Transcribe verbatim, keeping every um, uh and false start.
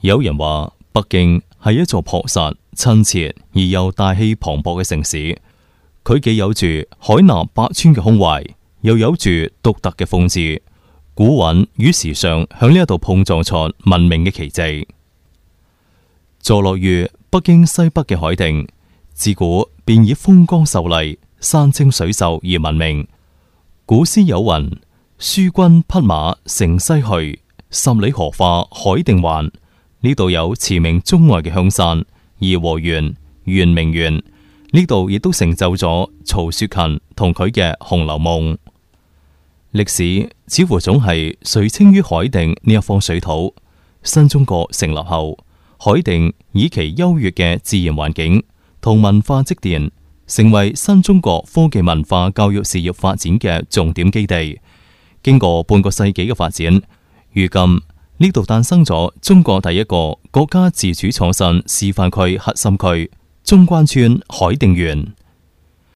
有人話北京係一座樸實、親切而又大氣磅礴嘅城市，佢既有住海納百川嘅胸懷，又有住獨特嘅風致，古韻與時尚響呢一度碰撞出文明嘅奇蹟。坐落於北京西北嘅海定，自古便以風光秀麗、山清水秀而聞名。古詩有云：書君匹馬乘西去，十里荷花海定還。呢度有馳名中外嘅香山、頤和園、圓明園，呢度亦都成就咗曹雪芹同佢嘅《紅樓夢》。歷史似乎總係垂青於海定呢一方水土。新中國成立後，海定以其優越嘅自然環境同文化積澱，成為新中國科技文化教育事業發展嘅重點基地。經過半個世紀嘅發展，如今呢度誕生咗中國第一個國家自主創新示範區核心區——中關村海定園。